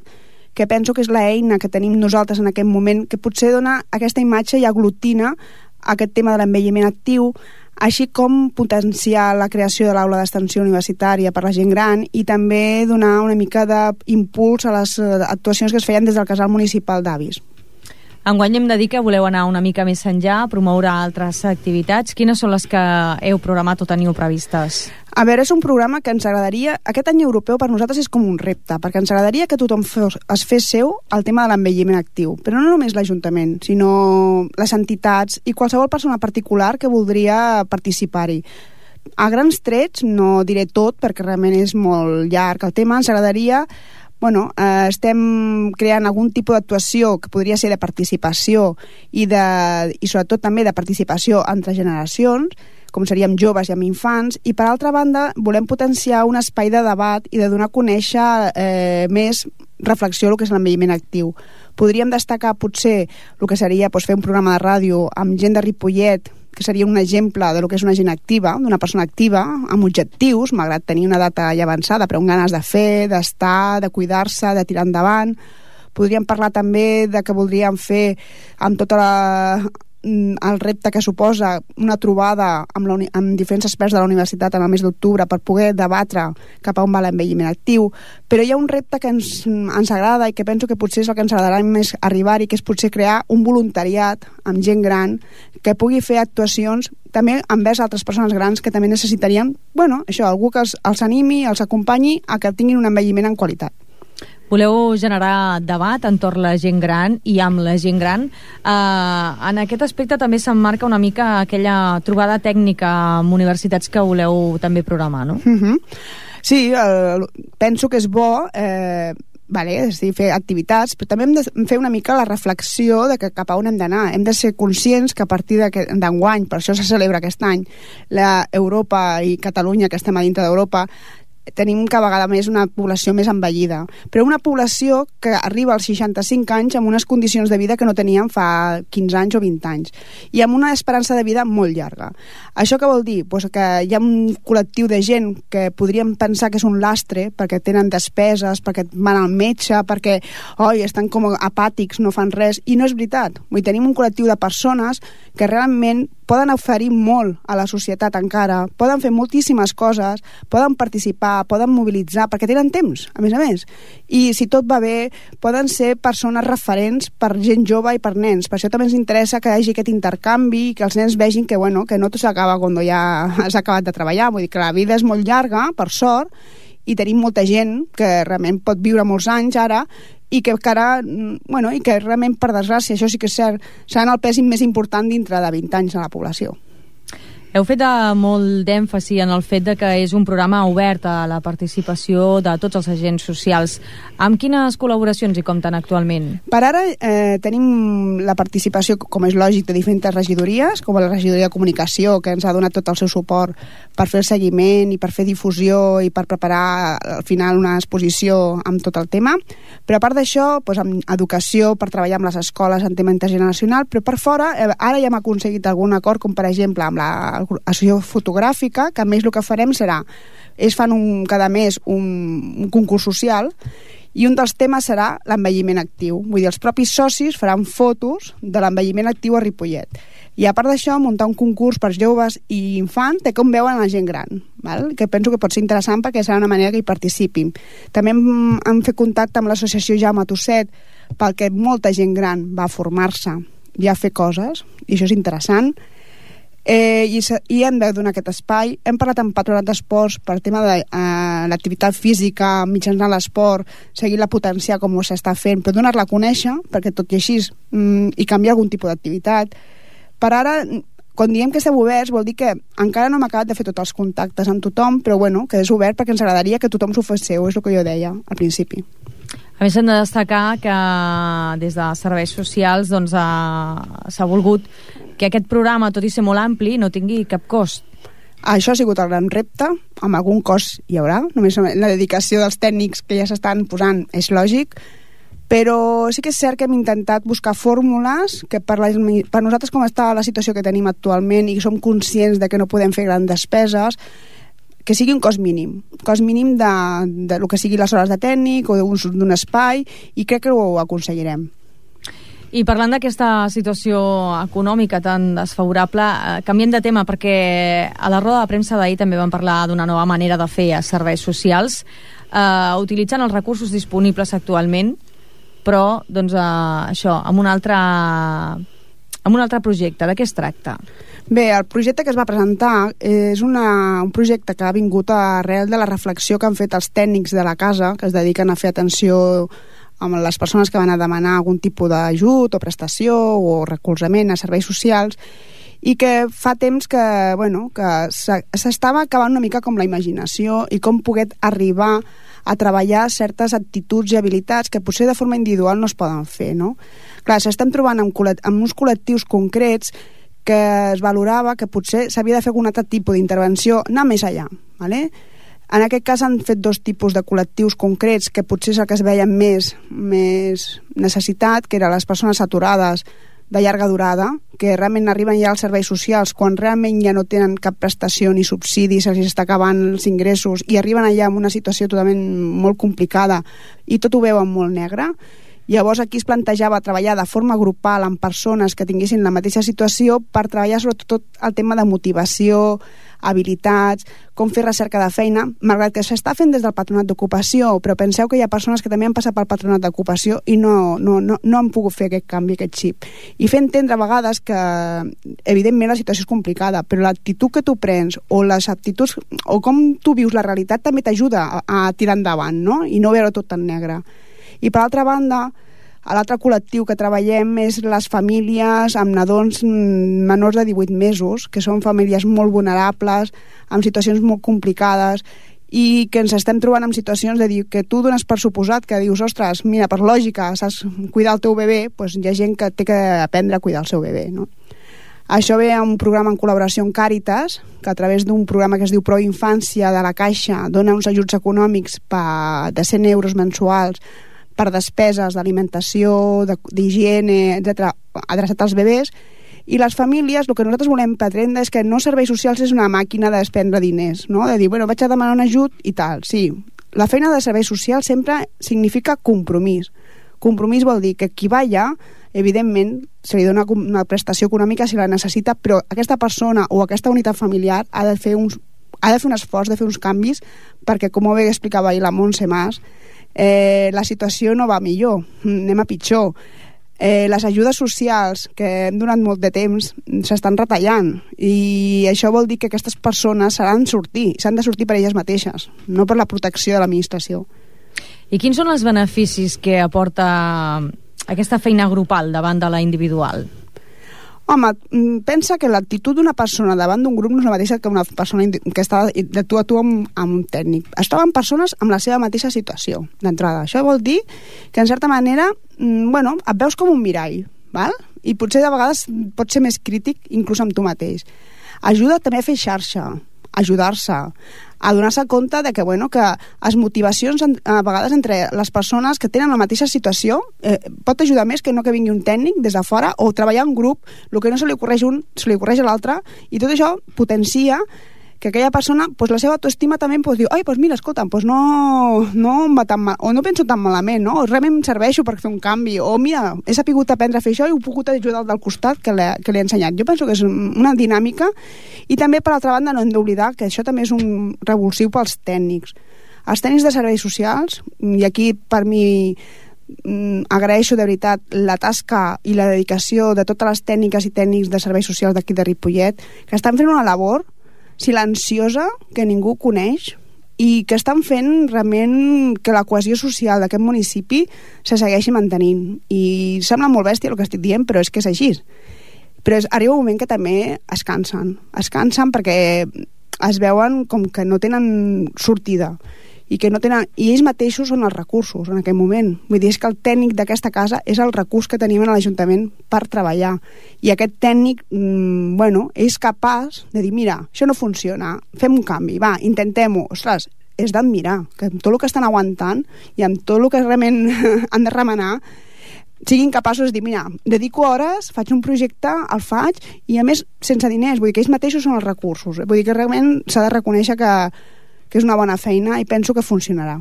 que penso que és l'eina que tenim nosaltres en aquest moment, que potser dona aquesta imatge i aglutina aquest tema de l'envelliment actiu, així com potenciar la creació de l'aula d'extensió universitària per la gent gran i també donar una mica d'impuls a les actuacions que es feien des del casal municipal d'avis. Enguany hem de dir que voleu anar una mica més enllà, promoure altres activitats. Quines són les que heu programat o teniu previstes? A veure, és un programa que ens agradaria... Aquest any europeu per nosaltres és com un repte, perquè ens agradaria que tothom es fes seu el tema de l'envelliment actiu, però no només l'Ajuntament, sinó les entitats i qualsevol persona particular que voldria participar-hi. A grans trets, no diré tot, perquè realment és molt llarg el tema, ens agradaria... estem creant algun tipus d'actuació que podria ser de participació i sobretot també de participació entre generacions, com seríem joves i amb infants, i per altra banda volem potenciar un espai de debat i de donar a conèixer més reflexió el que és l'envelliment actiu. Podríem destacar potser el que seria fer un programa de ràdio amb gent de Ripollet, que seria un exemple de lo que és una gent activa, d'una persona activa, amb objectius, malgrat tenir una data ja avançada, però amb ganes de fer, d'estar, de cuidar-se, de tirar endavant. Podríem parlar també de que voldríem fer amb tota el repte que suposa una trobada amb diferents experts de la universitat en el mes d'octubre per poder debatre cap a on va l'envelliment actiu, però hi ha un repte que ens agrada i que penso que potser és el que ens agradarà més arribar-hi, que és potser crear un voluntariat amb gent gran que pugui fer actuacions també envers altres persones grans que també necessitarien, algú que els animi, els acompanyi a que tinguin un envelliment en qualitat. Voleu generar debat entorn la gent gran i amb la gent gran. En aquest aspecte també s'emmarca una mica aquella trobada tècnica amb universitats que voleu també programar, no? Sí, penso que és bo és dir, fer activitats, però també hem de fer una mica la reflexió de que cap a on hem d'anar. Hem de ser conscients que a partir d'enguany, per això se celebra aquest any, Europa i Catalunya, que estem a dintre d'Europa, tenim cada vegada més una població més envellida, però una població que arriba als 65 anys amb unes condicions de vida que no teníem fa 15 anys o 20 anys, i amb una esperança de vida molt llarga. Això què vol dir? Que hi ha un col·lectiu de gent que podríem pensar que és un lastre, perquè tenen despeses, perquè van al metge, perquè estan com apàtics, no fan res, i no és veritat. Tenim un col·lectiu de persones que realment poden oferir molt a la societat encara, poden fer moltíssimes coses, poden participar, poden mobilitzar, perquè tenen temps, a més. I si tot va bé, poden ser persones referents per gent jove i per nens. Per això també ens interessa que hi hagi aquest intercanvi, que els nens vegin que no tot s'acaba quan ja has acabat de treballar. Vull dir que la vida és molt llarga, per sort, i tenim molta gent que realment pot viure molts anys ara, i que encara, i que realment, per desgràcia, això sí que és cert, seran el pes més important dintre de 20 anys a la població. Heu fet molt d'èmfasi en el fet de que és un programa obert a la participació de tots els agents socials. Amb quines col·laboracions hi compten actualment? Per ara tenim la participació, com és lògic, de diferents regidories, com la regidoria de comunicació, que ens ha donat tot el seu suport per fer el seguiment i per fer difusió i per preparar al final una exposició amb tot el tema. Però a part d'això, amb educació, per treballar amb les escoles en tema intergeneracional, però per fora, ara ja hem aconseguit algun acord, com per exemple amb l'associació fotogràfica, que a més el que farem serà, fan cada mes un concurs social, i un dels temes serà l'envelliment actiu. Vull dir, els propis socis faran fotos de l'envelliment actiu a Ripollet. I a part d'això, muntar un concurs per joves i infants de com veuen la gent gran, que penso que pot ser interessant perquè serà una manera que hi participin. També hem fet contacte amb l'associació Jaume Tosset, perquè molta gent gran va formar-se i a fer coses, i això és interessant. i hem de donar aquest espai. Hem parlat amb Patronat d'Esports per tema de l'activitat física, mitjançant l'esport, seguir-la potenciar com ho s'està fent, però donar-la a conèixer, perquè tot i així i canviar algun tipus d'activitat. Per ara, quan diem que estem oberts, vol dir que encara no hem acabat de fer tots els contactes amb tothom, però bueno, que és obert perquè ens agradaria que tothom s'ho fes seu, és el que jo deia al principi. A més, hem de destacar que des de serveis socials doncs, s'ha volgut que aquest programa, tot i ser molt ampli, no tingui cap cost. Això ha sigut el gran repte, amb algun cost hi haurà, només la dedicació dels tècnics que ja s'estan posant és lògic, però sí que és cert que hem intentat buscar fórmules que per nosaltres com està la situació que tenim actualment i som conscients de que no podem fer grans despeses, que sigui un cost mínim de lo que sigui les hores de tècnic o d'un espai, i crec que ho aconseguirem. I parlant d'aquesta situació econòmica tan desfavorable, canviem de tema, perquè a la roda de premsa d'ahir també vam parlar d'una nova manera de fer a serveis socials, utilitzant els recursos disponibles actualment, però doncs, això, amb un altre projecte. De què es tracta? Bé, el projecte que es va presentar és un projecte que ha vingut arrel de la reflexió que han fet els tècnics de la casa, que es dediquen a fer atenció amb les persones que van a demanar algun tipus d'ajut o prestació o recolzament a serveis socials, i que fa temps que s'estava acabant una mica com la imaginació i com poder arribar a treballar certes actituds i habilitats que potser de forma individual no es poden fer, no? Clar, s'estem trobant amb uns col·lectius concrets que es valorava que potser s'havia de fer algun altre tipus d'intervenció, anar més allà, ¿vale? En aquest cas han fet dos tipus de col·lectius concrets que potser és el que es veia més necessitat, que eren les persones aturades de llarga durada, que realment arriben ja als serveis socials quan realment ja no tenen cap prestació ni subsidi, se'ls està acabant els ingressos i arriben allà en una situació totalment molt complicada i tot ho veuen molt negre. Llavors aquí es plantejava treballar de forma grupal amb persones que tinguessin la mateixa situació per treballar sobretot el tema de motivació, habilitats, com fer recerca de feina, malgrat que s'està fent des del Patronat d'Ocupació, però penseu que hi ha persones que també han passat pel Patronat d'Ocupació i no han pogut fer aquest canvi, aquest xip. I fer entendre a vegades que evidentment la situació és complicada, però l'actitud que tu prens o les aptituds o com tu vius la realitat també t'ajuda a tirar endavant, no? I no veure tot tan negre. I per altra banda, l'altre col·lectiu que treballem és les famílies amb nadons menors de 18 mesos, que són famílies molt vulnerables, amb situacions molt complicades, i que ens estem trobant en situacions de dir que tu dones per suposat que dius, ostres, mira, per lògica, saps cuidar el teu bebè, doncs hi ha gent que té que aprendre a cuidar el seu bebè, no? Això ve a un programa en col·laboració amb Càritas, que a través d'un programa que es diu Pro Infància de la Caixa dona uns ajuts econòmics de 100 euros mensuals per despeses d'alimentació, d'higiene, etc., adreçat als bebès, i les famílies, el que nosaltres volem pretendre és que no serveis socials és una màquina de despendre diners, no? De dir, bueno, vaig a demanar un ajut i tal. Sí, la feina de serveis socials sempre significa compromís. Compromís vol dir que qui va allà, evidentment, se li dona una prestació econòmica si la necessita, però aquesta persona o aquesta unitat familiar ha de fer un esforç, de fer uns canvis, perquè, com bé explicava ahir la Montse Mas, la situació no va millor, anem a pitjor. Les ajudes socials que hem donat molt de temps s'estan retallant, i això vol dir que aquestes persones s'han de sortir per elles mateixes, no per la protecció de l'administració. I quins són els beneficis que aporta aquesta feina grupal davant de la individual? Home, pensa que l'actitud d'una persona davant d'un grup no és la mateixa que una persona que està de tu a tu amb un tècnic. Es troben persones amb la seva mateixa situació, d'entrada. Això vol dir que, en certa manera, et veus com un mirall, val? I potser de vegades pot ser més crític inclús amb tu mateix. Ajuda també a fer xarxa, ajudar-se, a donar-se compte de que les motivacions a vegades entre les persones que tenen la mateixa situació pot ajudar més que no que vingui un tècnic des de fora, o treballar en grup, el que no se li ocorreix un se li ocorreix a l'altre, i tot això potencia que aquella persona, la seva autoestima també diu, ai, mira, escolta, no em va tan mal, o no penso tan malament, no? O realment em serveixo per fer un canvi, o mira, he sapigut aprendre a fer això i he pogut ajudar el del costat que li he ensenyat. Jo penso que és una dinàmica, i també, per altra banda, no hem d'oblidar que això també és un revulsiu pels tècnics. Els tècnics de serveis socials, i aquí per mi agraeixo de veritat la tasca i la dedicació de totes les tècniques i tècnics de serveis socials d'aquí de Ripollet, que estan fent una labor silenciosa que ningú coneix i que estan fent realment que la cohesió social d'aquest municipi se segueixi mantenint. I sembla molt bèstia el que estic dient, però és que és així. Però arriba un moment que també es cansen perquè es veuen com que no tenen sortida i ells mateixos són els recursos en aquell moment. Vull dir, és que el tècnic d'aquesta casa és el recurs que tenim en l'Ajuntament per treballar, i aquest tècnic és capaç de dir, mira, això no funciona, fem un canvi, va, intentem-ho. Ostres, és d'admirar que amb tot el que estan aguantant i amb tot el que realment han de remenar siguin capaços de dir, mira, dedico hores, faig un projecte, el faig, i a més sense diners, vull dir que ells mateixos són els recursos, vull dir que realment s'ha de reconèixer que és una bona feina i penso que funcionarà.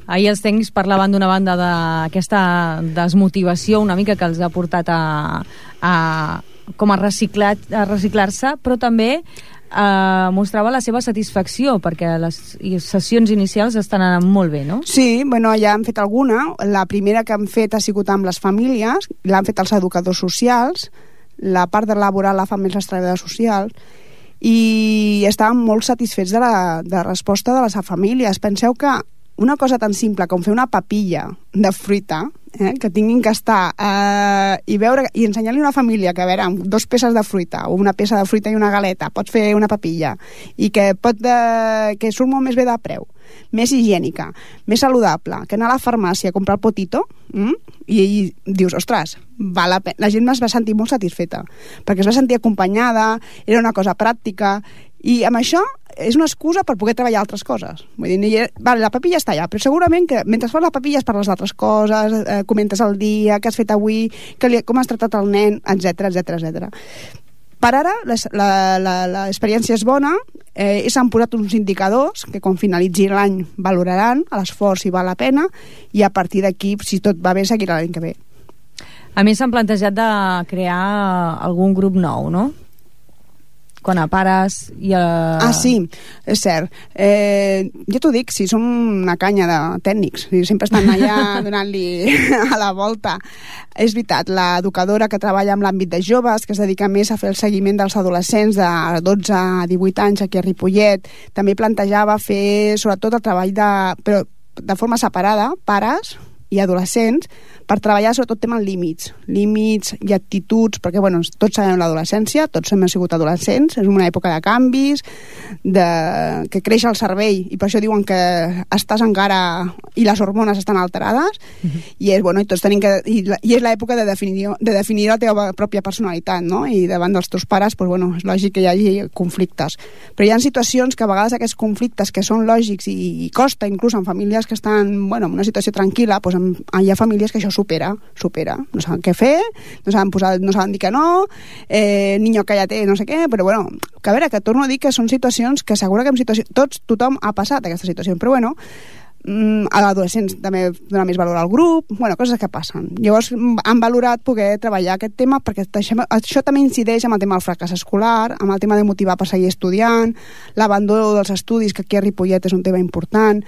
Ahir els tècnics parlaven d'una banda d'aquesta desmotivació una mica que els ha portat a reciclar-se, però també mostrava la seva satisfacció perquè les sessions inicials estan anant molt bé, no? Sí, ja han fet alguna. La primera que han fet ha sigut amb les famílies, l'han fet els educadors socials, la part de laboral la fan més les treballadores socials, i estaven molt satisfets de la resposta de les famílies. Penseu que una cosa tan simple com fer una papilla de fruita, que tinguin que estar i ensenyar-li a una família que, a veure, amb 2 peces de fruita o una peça de fruita i una galeta pots fer una papilla i que surt molt més bé de preu, més higiènica, més saludable que anar a la farmàcia a comprar el potito, i dius, ostres, val la pena. La gent es va sentir molt satisfeta perquè es va sentir acompanyada, era una cosa pràctica, i amb això és una excusa per poder treballar altres coses. Vull dir, vale, la papilla està allà, però segurament que mentre fas la papilla parles d'altres coses, comentes el dia, què has fet avui, com has tratat el nen, etc. Per ara l'experiència és bona, s'han posat uns indicadors que quan finalitzi l'any valoraran l'esforç si val la pena, i a partir d'aquí, si tot va bé, seguirà l'any que ve. A més, s'han plantejat de crear algun grup nou, no? Quan a pares i a... Ah, sí, és cert. Jo t'ho dic, si som una canya de tècnics, sempre estan allà donant-li a la volta. És veritat, l'educadora que treballa amb l'àmbit de joves, que es dedica més a fer el seguiment dels adolescents de 12 a 18 anys aquí a Ripollet, també plantejava fer sobretot el treball però de forma separada, pares i adolescents, per treballar sobretot tema límits i actituds, perquè tots sabem l'adolescència, tots hem sigut adolescents, és una època de canvis, que creix el cervell, i per això diuen que estàs encara i les hormones estan alterades, i tots tenim que... I és l'època de definir la teva pròpia personalitat, no? I davant dels teus pares, és lògic que hi hagi conflictes. Però hi ha situacions que a vegades aquests conflictes que són lògics i costa, inclús en famílies que estan en una situació tranquil·la, hi ha famílies que això supera, no saben què fer, no saben dir que no, niño cállate, no sé què, però que a veure, que torno a dir que són situacions que segura que tothom ha passat aquesta situació, però a l'adolescents també donar més valor al grup, coses que passen. Llavors han valorat poder treballar aquest tema perquè això també incideix amb el tema del fracàs escolar, amb el tema de motivar per seguir estudiant, l'abandó dels estudis, que aquí a Ripollet és un tema important,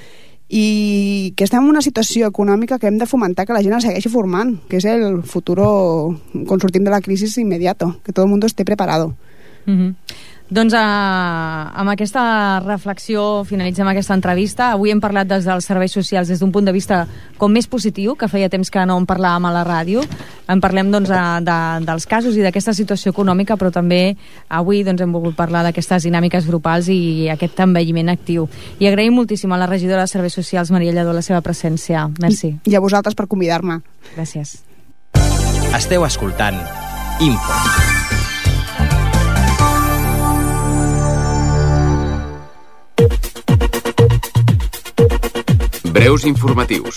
i que estem en una situació econòmica que hem de fomentar que la gent es segueixi formant, que és el futur quan sortim de la crisi immediato, que tot el món esté preparado. Doncs amb aquesta reflexió finalitzem aquesta entrevista. Avui hem parlat des dels serveis socials des d'un punt de vista com més positiu, que feia temps que no en parlàvem a la ràdio. En parlem dels casos i d'aquesta situació econòmica, però també avui hem volgut parlar d'aquestes dinàmiques grupals i aquest envelliment actiu. I agraïm moltíssim a la regidora de Serveis Socials, Maria Lladó, la seva presència. Merci. I a vosaltres per convidar-me. Gràcies. Esteu escoltant Info. Breus informatius.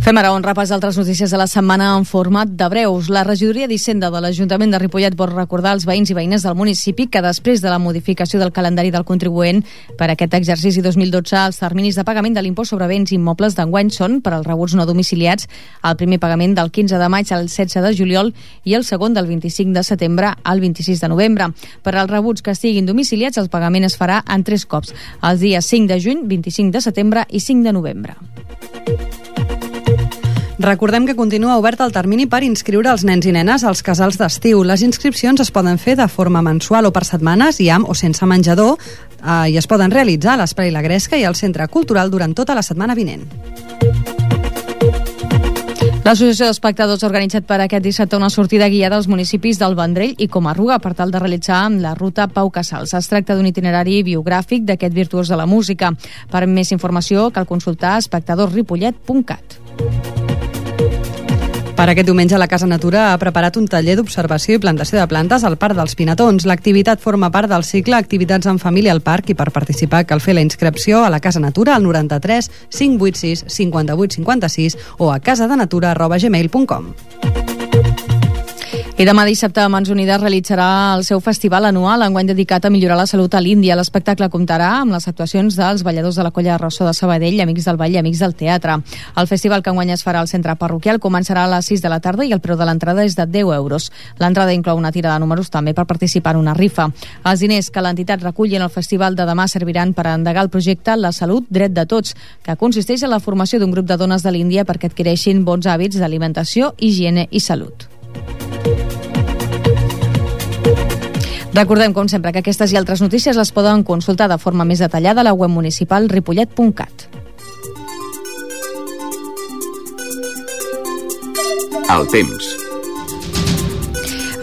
Fem ara un repàs d'altres notícies de la setmana en format de breus. La regidoria d'Hisenda de l'Ajuntament de Ripollet vol recordar als veïns i veïnes del municipi que després de la modificació del calendari del contribuent per aquest exercici 2012, els terminis de pagament de l'impost sobre béns immobles d'enguany són, per als rebuts no domiciliats, el primer pagament del 15 de maig al 16 de juliol i el segon del 25 de setembre al 26 de novembre. Per als rebuts que estiguin domiciliats, el pagament es farà en 3 cops, els dies 5 de juny, 25 de setembre i 5 de novembre. Recordem que continua obert el termini per inscriure els nens i nenes als casals d'estiu. Les inscripcions es poden fer de forma mensual o per setmanes i amb o sense menjador i es poden realitzar a l'Esplai La Gresca i al Centre Cultural durant tota la setmana vinent. L'Associació d'Espectadors ha organitzat per aquest dissabte una sortida guiada als municipis del Vendrell i Comarruga per tal de realitzar la ruta Pau Casals. Es tracta d'un itinerari biogràfic d'aquest virtuós de la música. Per més informació cal consultar espectadorsripollet.cat. Per aquest diumenge la Casa Natura ha preparat un taller d'observació i plantació de plantes al Parc dels Pinatons. L'activitat forma part del cicle Activitats en Família al Parc i per participar cal fer la inscripció a la Casa Natura al 93 586 58 56 o a casadenatura@gmail.com. I demà dissabte Mans Unides realitzarà el seu festival anual, enguany dedicat a millorar la salut a l'Índia. L'espectacle comptarà amb les actuacions dels balladors de la Colla de Ressò de Sabadell, Amics del Ball i Amics del Teatre. El festival que enguany es farà al centre parroquial començarà a les 6 de la tarda i el preu de l'entrada és de 10 euros. L'entrada inclou una tira de números també per participar en una rifa. Els diners que l'entitat reculli en el festival de demà serviran per endegar el projecte La Salut, Dret de Tots, que consisteix en la formació d'un grup de dones de l'Índia perquè adquireixin bons hàbits d'alimentació, higiene i salut. Recordem, com sempre, que aquestes i altres notícies les poden consultar de forma més detallada a la web municipal ripollet.cat. El temps.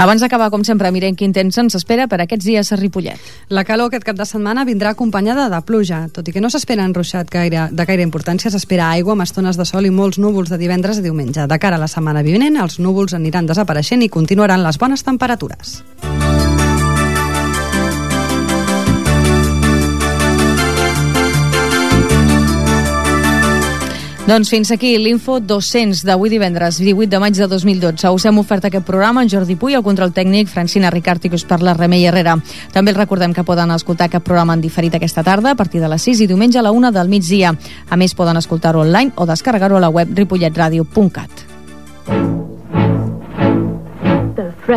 Abans d'acabar, com sempre, mirem quin temps ens espera per aquests dies a Ripollet. La calor aquest cap de setmana vindrà acompanyada de pluja. Tot i que no s'espera enruixat de gaire importància, s'espera aigua amb estones de sol i molts núvols de divendres a diumenge. De cara a la setmana vinent, els núvols aniran desapareixent i continuaran les bones temperatures. Doncs fins aquí l'Info 200 d'avui divendres 18 de maig de 2012. Us hem ofert aquest programa en Jordi Puy, el control tècnic, Francina Ricart i que us parla Remei Herrera. També els recordem que poden escoltar aquest programa en diferit aquesta tarda a partir de les 6 i diumenge a la 1 del migdia. A més, poden escoltar-ho online o descarregar-ho a la web ripolletradio.cat. I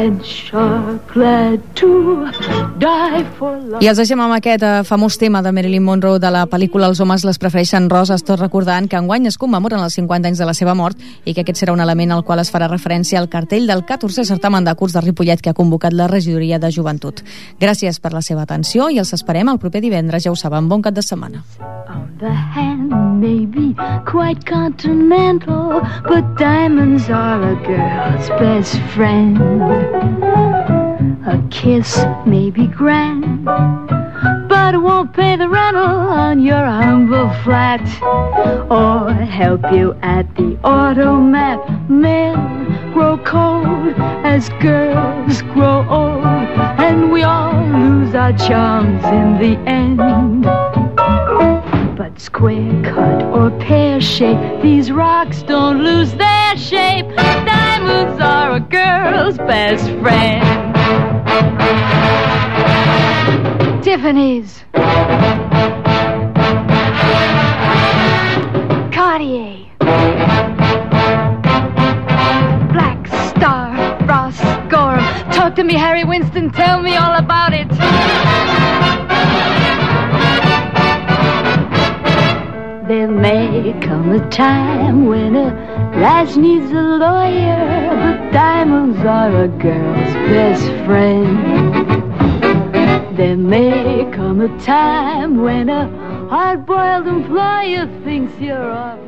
els deixem amb aquest famós tema de Marilyn Monroe de la pel·lícula Els homes les prefereixen roses, tot recordant que enguany es commemoren els 50 anys de la seva mort i que aquest serà un element al qual es farà referència al cartell del 14è certamen de curs de Ripollet que ha convocat la regidoria de joventut. Gràcies per la seva atenció i els esperem el proper divendres, ja ho saben, bon cap de setmana. The hand may be quite continental, but diamonds are a girl's best friend. A kiss may be grand, but it won't pay the rental on your humble flat, or help you at the automat. Men grow cold as girls grow old, and we all lose our charms in the end. But square cut or pear shape, these rocks don't lose their shape. Diamonds are a girl's best friend. Tiffany's, Cartier, Black Star, Ross Gorham. Talk to me, Harry Winston, tell me all about it. There may come a time when a lass needs a lawyer, but diamonds are a girl's best friend. There may come a time when a hard-boiled employer thinks you're off.